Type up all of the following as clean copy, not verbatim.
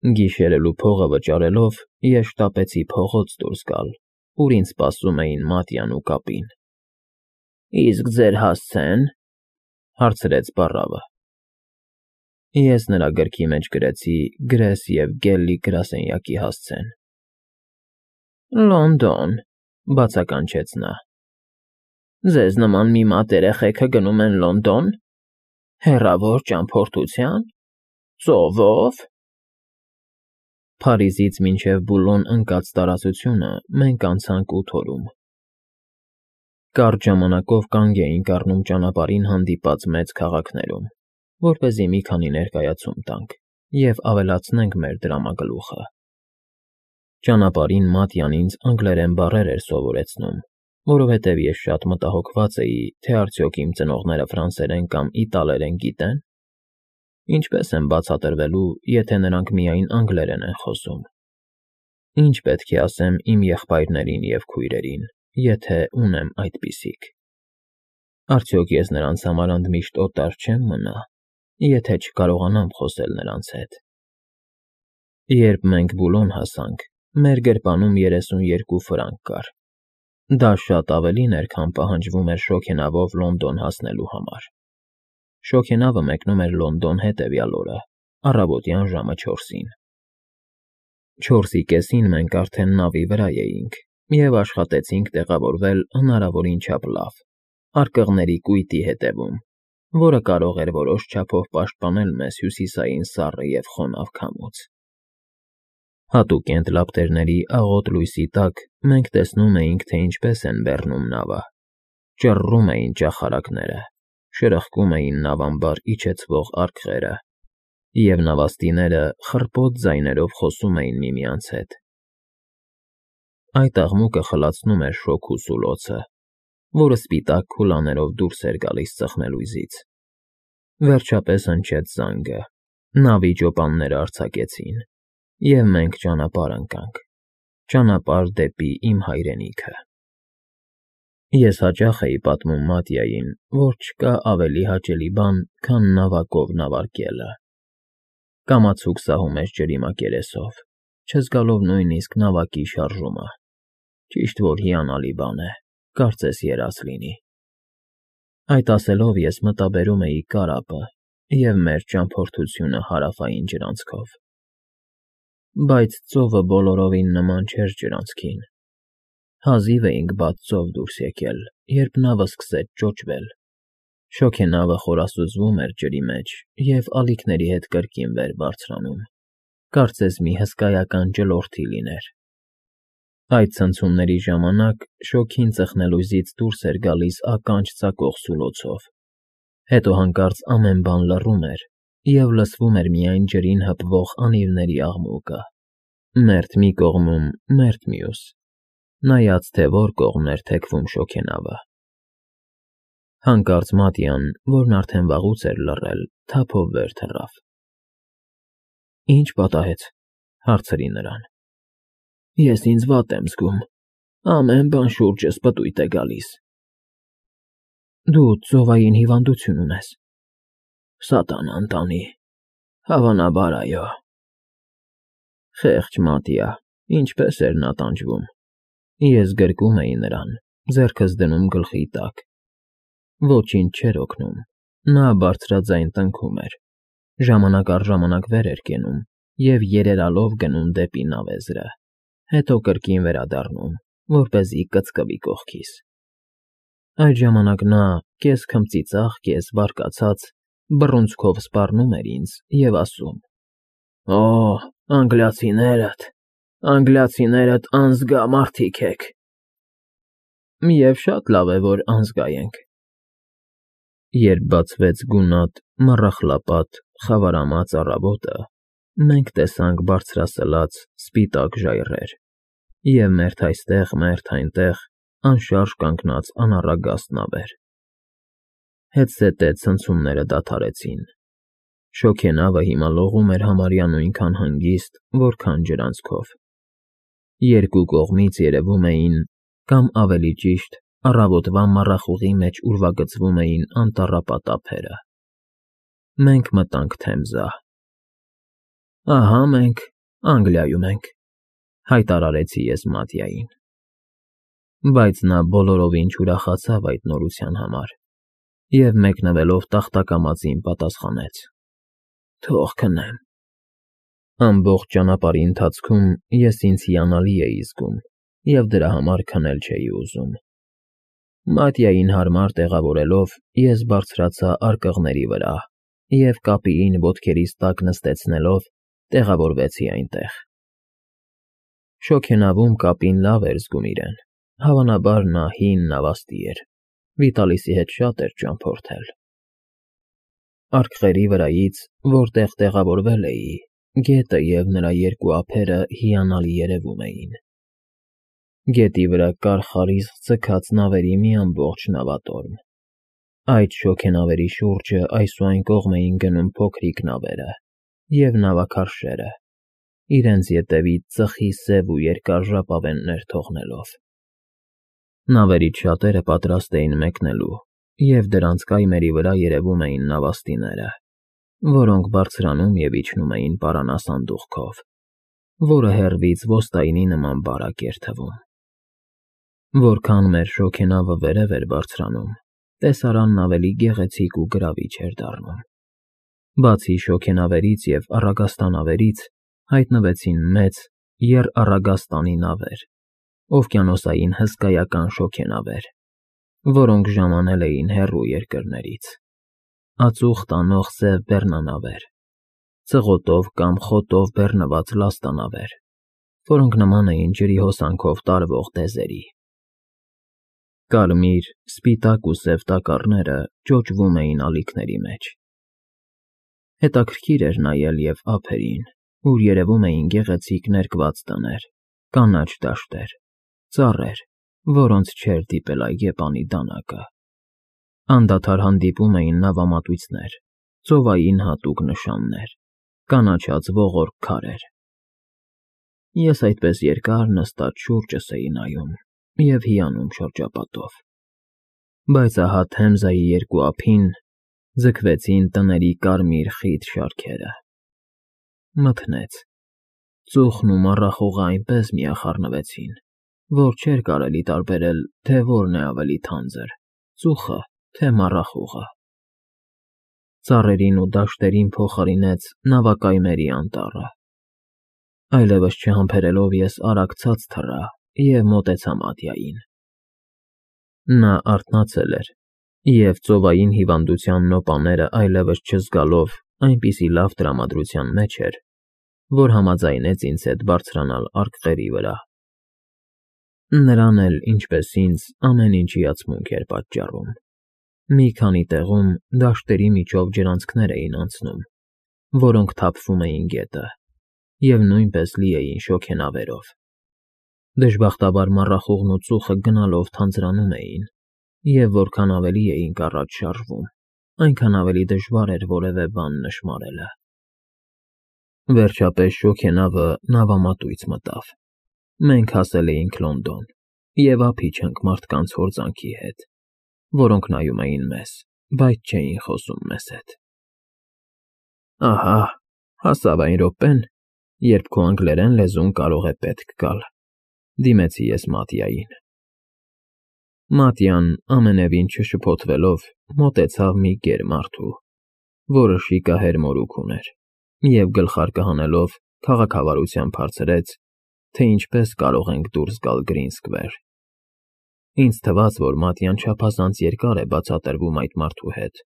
Գիշերելու փողը վճարելով ես շտապեցի փողոց դուրս գալ, ուր ինձ սպասում էին Մատյան ու կապին։ ֊ Իսկ ձեր հասցե՞ն,֊ հարցրեց պառավը։ Ես նրա գրքի մեջ գրեցի Գրես և Գելլի գրասենյակի հասցեն։ ֊ Լոնդոն,֊ բացականչեց նա։ ֊ Ձեզ նման մի մատ երեխեքը գնում են Լոնդոն, հեռավոր ճամփորդությա՞ն, ծովո՞վ։ Փարիզից մինչև Բուլոն ընկած տարածությունը մենք անցանք 8 օրում։ Կարճ ժամանակով կանգ էինք առնում ճանապարհին հանդիպած մեծ քաղաքներում, որպեսզի մի քանի ներկայացում տանք և ավելացնենք մեր դրամագլուխը։ Ճանապարհին Մատյան ինձ անգլերեն բառեր էր սովորեցնում, որովհետև ես շատ մտահոգված էի, թե արդյոք իմ ծնողները ֆրանսերեն կամ իտալերեն գիտե՞ն, ինչպես եմ բացատրվելու, եթե նրանք միայն անգլերեն են խոսում։ Ինչ պետք է ասեմ իմ եղբայրներին և քույրերին, եթե ունեմ այդպիսիք։ Արդյոք ես նրանց համար ընդմիշտ օտար չեմ մնա, եթե չկարողանամ խոսել նրանց հետ։ Երբ մենք Բուլոն հասանք, մեր գրպանում 32 ֆրանկ կար։ Դա շատ ավելին էր, քան պահանջվում էր շոգենավով Լոնդոն հասնելու համար։ Շոգենավը մեկնում էր Լոնդոն հետևյալ օրը, առավոտյան ժամը 4-ին։ 4:30-ին մենք արդեն նավի վրա էինք և աշխատեցինք տեղավորվել հնարավորին չափ լավ, արկղների կույտի հետևում, որը կարող էր որոշ չափով պաշտպանել մեզ հյուսիսային սառը և խոնավ քամուց։ Հատուկենտ լապտերների աղոտ լույսի տակ մենք տեսնում էինք, թե ինչպես են բեռնում նավը, ճռռում էին ճախարակները, շրխկում էին նավամբար իջեցվող արկղերը, և նավաստիները խռպոտ ձայներով խոսում էին միմյանց հետ։ Այդ աղմուկը խլացնում էր շոգ ու սուլոցը, որը սպիտակ քուլաներով դուրս էր գալիս ծխնելույզից։ Վերջապես հնչեց զանգը, նավի ջոպանները արձակեցին, և մենք ճանապարհ ընկանք, ճանապարհ դեպի իմ հայրենիքը։ Ես հաճախ էի պատմում Մատյային, որ չկա ավելի հաճելի բան, քան նավակով նավարկելը։ Կամացուկ սահում ես ջրի մակերեսով, չզգալով նույնիսկ նավակի շարժումը։ Ճիշտ որ հիանալի բան է, կարծես երազ լինի։ Այդ ասելով ես մտաբերում էի կարապը և մեր ճամփորդությունը հարավային ջրանցքով։ Բայց ծովը բոլորովին նման չէր ջրանցքին։ Հազիվ էինք բաց ծով դուրս եկել, երբ նավը սկսեց ճոճվել։ Շոգենավը խորասուզվում էր ջրի մեջ և ալիքների հետ կրկին վեր բարձրանում, կարծես մի հսկայական ջլորթի լիներ։ Այդ ցնցումների ժամանակ շոգին ծխնելույզից դուրս էր գալիս ականջ ծակող սուլոցով, հետո հանկարծ ամեն բան լռում էր, և լսվում էր միայն ջրին հպվող անիվների աղմուկը, մերթ մի կողմում, մերթ մյուս, նայած թե որ կողմն էր թեքվում շոգենավը։ Հանկարծ Մատյան, որն արդեն վաղուց էր լռել, թափով վեր թռավ։ ֊ Ի՞նչ պատահեց,֊ հարցրի նրան։ ֊ Ես ինձ վատ եմ զգում, ամեն բան շուրջս պտույտ է գալիս։ ֊ Դու ծովային հիվանդություն ունես։ ֊ Սատանան տանի, հավանաբար այո։ Խեղճ Մատյա, ինչպես էր նա տանջվում։ Ես գրկում էի նրան, ձեռքս դնում գլխի տակ։ Ոչինչ չէր օգնում, նա բարձրաձայն տնքում էր, ժամանակ առ ժամանակ վեր էր կենում և երերալով գնում դեպի նավեզրը, հետո կրկին վերադառնում, որպեսզի կծկվի կողքիս։ Այդ ժամանակ նա, կես քմծիծաղ, կես բարկացած, բռունցքով սպառնում էր ինձ և ասում. «Օ, անգլիացիներդ անզգա մարդիկ եք»։ Եվ շատ լավ է, որ անզգա ենք։ Երբ բացվեց գունատ, մառախլապատ, խավարամած առավոտը, մենք տեսանք բարձրասլաց, սպիտակ ժայռեր և մերթ այստեղ, մերթ այնտեղ անշարժ կանգնած անառագաստ նավեր։ Հետզհետե ցնցումները դադարեցին։ Շոգենավը հիմա լողում էր համարյա նույնքան հանգիստ, որքան ջրանցքով։ Երկու կողմից երևում էին, կամ ավելի ճիշտ, առավոտվա մառախուղի մեջ ուրվագծվում էին անտառապատ ափերը։ Մենք մտանք Թեմզա։ Ահա մենք Անգլիայում ենք, հայտարարեցի ես Մատիային։ Բայց նա բոլորովին չուրախացավ այդ նորության համար և մեկնվելով տախտակամածին պատասխանեց. Թող քնեմ։ Ամբողջ ճանապարհի ընթացքում ես ինձ հիանալի էի զգում և դրա համար քնել չէի ուզում։ Մատիային հարմար տեղավորելով, ես բարձրացա արկղների վրա և կապիին ոտքերիս տակ նստեցնելով, տեղավորվեցի այնտեղ։ Շոգենավում կապին լավ էր զգում իրեն, հավանաբար նա հին նավաստի էր, Վիտալիսի հետ շատ էր ճամփորդել։ Արկղերի վրայից, որտեղ տեղավորվել էի, գետը և նրա երկու ափերը հիանալի երևում էին։ Գետի վրա կար խարիսկ ձգած նավերի մի ամբողջ նավատորմ։ Այդ շոգենավերի շուրջը այս ու այն կողմ էին գնում փոքրիկ նավերը և նավաքարշերը, իրենց ետևից ծխի սև ու երկար ժապավեններ թողնելով։ Նավերից շատերը պատրաստ էին մեկնելու, և դրանց կայմերի վրա երևում էին նավաստիները, որոնք բարձրանում և իջնում էին պարանասանդուղքով, որը հեռվից ոստայնի նման բարակ էր թվում։ Որքան մեր շոգենավը վերև էր բարձրանում, տեսարանն ավելի գեղեցիկ ու գրավիչ էր դառնում։ Բացի շոգենավերից և առագաստանավերից հայտնվեցին մեծ եռառագաստանի նավեր, օվկիանոսային հսկայական շոգենավեր, որոնք ժամանել էին հեռու երկրներից, ածուխ տանող սև բեռնանավեր, ծղոտով կամ խոտով բեռնված լաստանավեր, որոնք նման էին ջրի հոսանքով տարվող դեզերի։ Կարմիր, սպիտակ ու սև տակառները ճոճվում էին ալիքների մեջ։ Հետաքրքիր էր նայել և ափերին, ուր երևում էին գեղեցիկ ներկված տներ, կանաչ դաշտեր, ծառեր, որոնց չէր դիպել այգեպանի դանակը։ Անդադար հանդիպում էին նավամատույցներ, ծովային հատուկ նշաններ, կանաչած ողորկ քարեր։ Ես այդպես երկար նստած շուրջս էի նայում և հիանում շրջապատով։ Բայց ահա Թեմզայի երկու ափին ձգվեցին տների կարմիր խիտ շարքերը։ Մթնեց։ Ծուխն ու մառախուղը այնպես միախառնվեցին, որ չէր կարելի տարբերել, թե որն է ավելի թանձր՝ ծուխը, թե մառախուղը։ Ծառերին ու դաշտերին փոխարինեց նավակայմերի անտառը։ Այլևս չհամբերելով ես արագ ցած թռա և մոտեցա Մատիային։ Նա արթնացել էր և ծովային հիվանդության նոպաները այլևս չզգալով այնպիսի լավ տրամադրության մեջ էր, որ համաձայնեց ինձ հետ բարձրանալ արկղերի վրա։ Նրան էլ, ինչպես ինձ, ամեն ինչ հիացմունք էր պատճառում։ Մի քանի տեղում դաշտերի միջով ջրանցքներ էին անցնում, որոնք թափվում էին գետը, և նույնպես լի էին շոգենավերով։ Դժբախտաբար մառախուղն ու ծուխը գնալով թանձրանում էին, և որքան ավելի էինք առաջ շարժվում, այնքան ավելի դժվար էր որևէ բան նշմարելը։ Վերջապես շոգենավը նավամատույց մտավ։ Մենք հասել էինք Լոնդոն և ափի չենք մարդկանց հորձանքի հետ, որոնք նայում էին մեզ, բայց չէին խոսում մեզ հետ։ Ահա, հասավ այն րոպեն, երբ քո անգլերեն լեզուն կարող է պետք գալ, դիմեցի ես Մատիային։ Մատիան, ամենևին չշփոթվելով, մոտեցավ մի գեր մարդու, որը շիկահեր մորուք ուներ, և գլխարկը հանելով քաղաքավարությամբ հարցրեց, թե ինչպես կարող ենք դուրս գալ Գրին Սքվեր։ Ինձ թվաց, որ Մատիան չափազանց երկար է բացատրվում այդ մարդու հետ,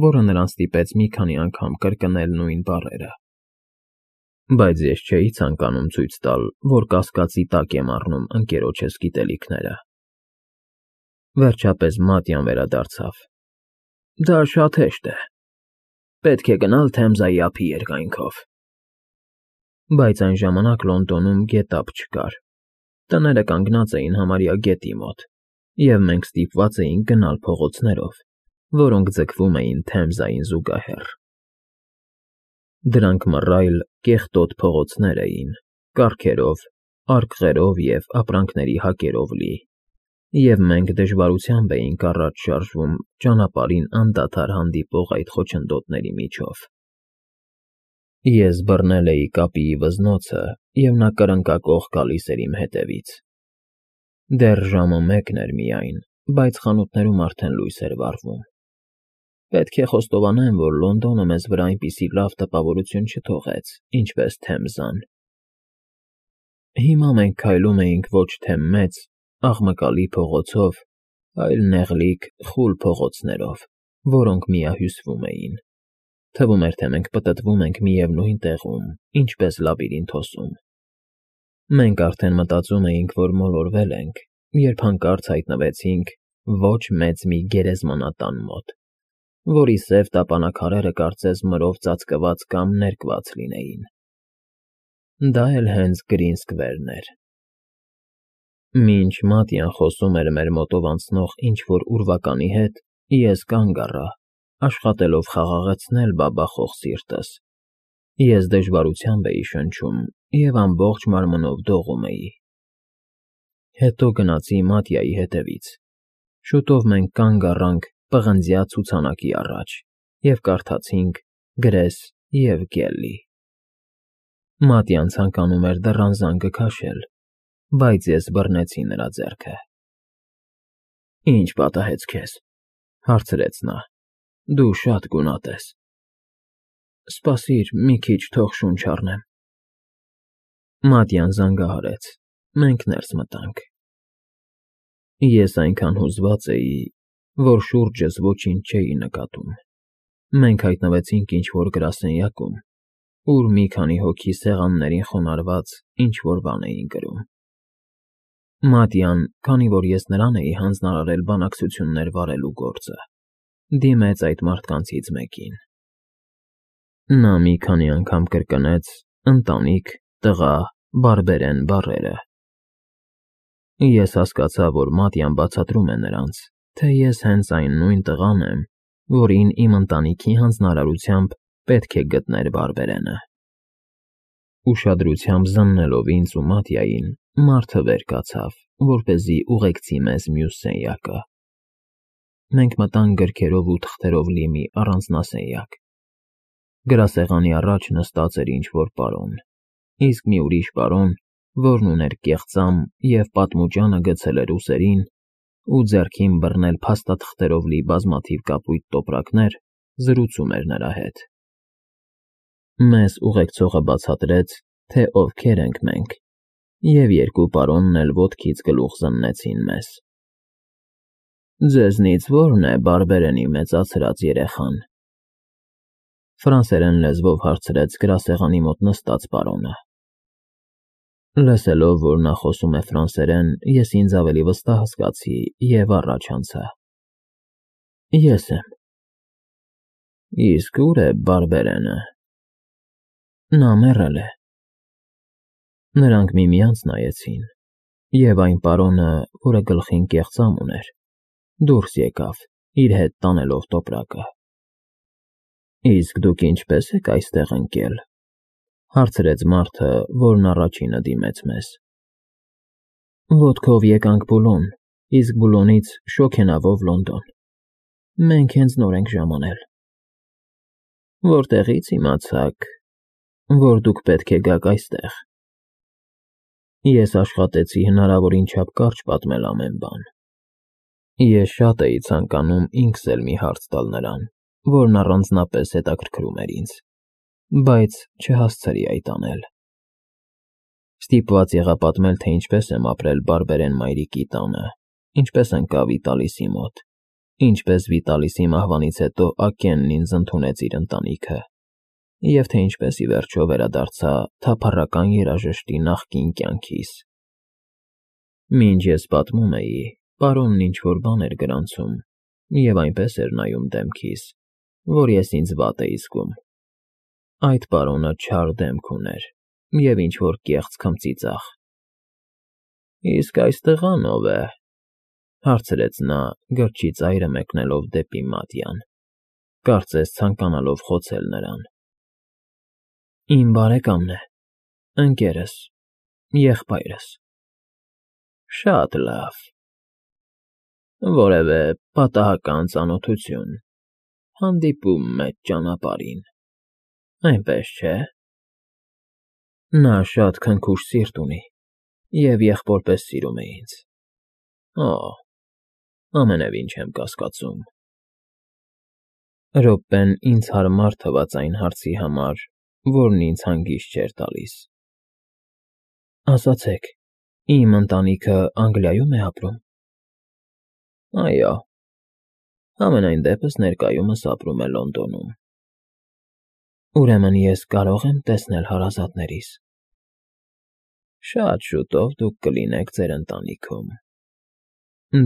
որը նրան ստիպեց մի քանի անգամ կրկնել նույն բառերը։ Բայց ես չէի ցանկանում ցույց տալ, որ կասկածի տակ եմ առնում ընկերոջս գիտելիքները։ Վերջապես Մատիան վերադարձավ։ Դա շատ հեշտ է։ Պետք է գնալ Թեմզայի ափի երկայնքով։ Բայց այն ժամանակ Լոնդոնում գետափ չկար։ Տները կանգնած էին համարյա գետի մոտ, և մենք ստիպված էինք գնալ փողոցներով, որոնք ձգվում էին Թեմզային զուգահեռ։ Դրանք մռայլ, կեղտոտ փողոցներ էին, կառքերով, արկղերով և ապրանքների հակերով լի, և մենք դժվարությամբ էինք առաջ շարժվում ճանապարհին անդադար հանդիպող այդ խոչընդոտների միջով։ Ես բռնել էի կապիի վզնոցը, և նա կրնկակող գալիս էր իմ հետևից։ Դեռ ժամը 1 էր միայն, բայց խանութներում արդեն լույս էր վառվում։ Պետք է խոստովանեմ, որ Լոնդոնը մեզ վրա այնպիսի լավ տպավորություն չթողեց, ինչպես Թեմզան։ Հիմա մենք քայլում էինք ոչ թե մեծ, աղմկալի փողոցով, այլ նեղլիկ, խուլ փողոցներով, որոնք միահյուսվում էին։ Թվում էր, թե մենք պտտվում ենք միևնույն տեղում, ինչպես լաբիրինթոսում։ Մենք արդեն մտածում էինք, որ մոլորվել ենք, երբ հանկարծ հայտնվեցինք ոչ մեծ մի գերեզմանատան մոտ, որի սև տապանաքարերը կարծես մրով ծածկված կամ ներկված լինեին։ Դա էլ հենց Գրին Սքվերն էր։ Մինչ Մատյան խոսում էր մեր մոտով անցնող ինչ-որ ուրվականի հետ, ես կանգ առա, աշխատելով խաղաղեցնել բաբախող սիրտս։ Ես դժվարությամբ էի շնչում և ամբողջ մարմնով դողում էի։ Հետո գնացի Մատյայի հետևից։ Շուտով մենք կանգ առանք պղնձյա ցուցանակի առաջ և կարդացինք Գրես և Գելլի։ Մատյան ցանկանում էր դռան զանգը քաշել, բայց ես բռնեցի նրա ձեռքը։ «Ի՞նչ պատահեց քեզ,֊ հարցրեց նա,֊ դու շատ գունատ ես»։ «Սպասիր մի քիչ, թող շունչ առնեմ»։ Մատյան զանգահարեց, մենք ներս մտանք։ Ես այնքան հուզված էի, որ շուրջս ոչինչ չէի նկատում։ Մենք հայտնվեցինք ինչ֊որ գրասենյակում, ուր մի քանի հոգի սեղաններին խոնարհված ինչ֊որ բան էին գրում։ Մատյան, քանի որ ես նրան էի հանձնարարել բանակցություններ վարելու գործը, դիմեց այդ մարդկանցից մեկին։ Նա մի քանի անգամ կրկնեց «ընտանիք», «տղա», «բարբերեն» բառերը։ Ես հասկացա, որ Մատյան բացատրում է նրանց, թե ես հենց այն նույն տղան եմ, որին իմ ընտանիքի հանձնարարությամբ պետք է գտներ բարբերենը։ Ուշադրությամբ զննելով ինձ ու Մատյային, մարդը վեր կացավ, որպեսզի ուղեկցի մեզ մյուս սենյակը։ Մենք մտանք գրքերով ու թղթերով լի մի առանձնասենյակ։ Գրասեղանի առաջ նստած էր ինչ-որ պարոն, իսկ մի ուրիշ պարոն, որն ուներ կեղծամ և պատմուճանը գցել էր ուսերին ու ձեռքին բռնել փաստաթղթերով լի բազմաթիվ կապույտ տոպրակներ, զրուցում էր նրա հետ։ Մեզ ուղեկցողը բացատրեց, թե ովքեր ենք մենք, և երկու պարոնն էլ ոտքից գլուխ զննեցին մեզ։ «Ձեզնից ո՞րն է բարբերենի մեծացրած երեխան,֊ ֆրանսերեն լեզվով հարցրեց գրասեղանի մոտ նստած պարոնը։ Լսելով, որ նա խոսում է ֆրանսերեն, ես ինձ ավելի վստահ զգացի և առաջ անցա։ Ես եմ։ Իսկ ո՞ւր է բարբերենը։ Նա մեռել է։ Նրանք միմյանց նայեցին, և այն պարոնը, որը գլխին կեղծամ ուներ, դուրս եկավ, իր հետ տանելով տոպրակը։ Իսկ դուք ինչպե՞ս եք այստեղ ընկել,֊ հարցրեց մարդը, որն առաջինը դիմեց մեզ։ Ոտքով եկանք Բուլոն, իսկ Բուլոնից շոգենավով Լոնդոն։ Մենք հենց նոր ենք ժամանել։ Որտեղի՞ց իմացաք, որ դուք պետք է գաք այստեղ։ Ես աշխատեցի հնարավորին չափ կարճ պատմել ամեն բան։ Ես շատ էի ցանկանում ինքս էլ մի հարց տալ նրան, որն առանձնապես հետաքրքրում էր ինձ, բայց չհասցրի այդ անել։ Ստիպված եղա պատմել, թե ինչպես եմ ապրել բարբերեն մայրիկի տանը, ինչպես ընկա Վիտալիսի մոտ, ինչպես Վիտալիսի մահվանից հետո Ակենն ինձ ընդունեց իր ընտանիքը, և թե ինչպես ի վերջո վերադարձա թափառական երաժշտի նախկին կյանքիս։ Մինչ ես պատմում էի, պարոնն ինչ-որ բան էր գրանցում և այնպես էր նայում դեմքիս, որ ես ինձ վատ էի զգում։ Այդ պարոնը չար դեմք ուներ և ինչ-որ կեղծ քմծիծաղ։ Իսկ այս տղան ո՞վ է,֊ հարցրեց նա, գրչի ծայրը մեկնելով դեպի Մատյան, կարծես ցանկանալով խոցել նրան։ Իմ բարեկամն է, ընկերս, եղբայրս։ Շատ լավ։ Որևէ պատահական ծանոթություն, հանդիպում մեծ ճանապարհին։ Այնպես չէ։ Նա շատ քնքուշ սիրտ ունի և եղբոր պես սիրում է ինձ։ Օ, ամենևին չեմ կասկածում։ Րոպեն ինձ հարմար թվաց այն հարցի համար, որն ինձ հանգիստ չէր տալիս։ Ասացեք, իմ ընտանիքը Անգլիայո՞ւմ է ապրում։ Այո, համենայն դեպս ներկայումս ապրում է Լոնդոնում։ Ուրեմն ես կարող եմ տեսնել հարազատներիս։ Շատ շուտով դուք կլինեք ձեր ընտանիքում։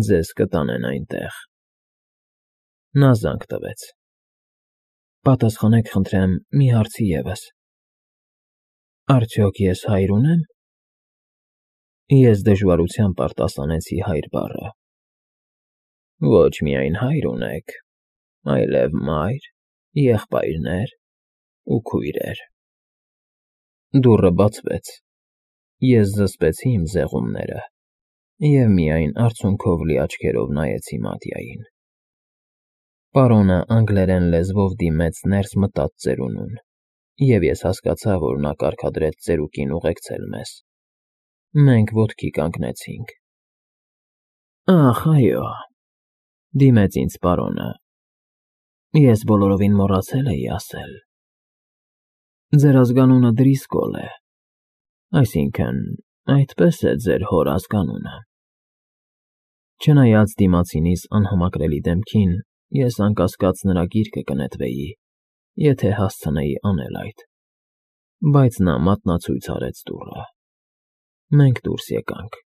Ձեզ կտանեն այնտեղ։ Նա զանգ տվեց։ Պատասխանեք, խնդրեմ, մի հարցի ևս։ Արդյոք ես հայր ունեմ։ Ես դժվարությամբ արտասանեցի հայր բառը։ Ոչ միայն հայր ունեք, այլև մայր, եղբայրներ ու քույրեր։ Դուռը բացվեց։ Ես զսպեցի իմ զեղումները և միայն արցունքով լի աչքերով նայեցի Մատյային։ Պարոնը անգլերեն լեզվով դիմեց ներս մտած ծերունուն, և ես հասկացա, որ նա կարգադրեց ծերուկին ուղեկցել մեզ։ Մենք ոտքի կանգնեցինք։ Ախ, այո, դիմեց ինձ պարոնը։ Ես բոլորովին մոռացել էի ասել։ Ձեր ազգանունը Դրիսկոլ է, այսինքն՝ այդպես է ձեր հոր ազգանունը։ Չնայած դիմացինիս անհամակրելի դեմքին, ես անկասկած նրա գիրկը կնետվեի, եթե հասցնեի անել այդ, բայց նա մատնացույց արեց դուռը։ Մենք դուրս եկանք։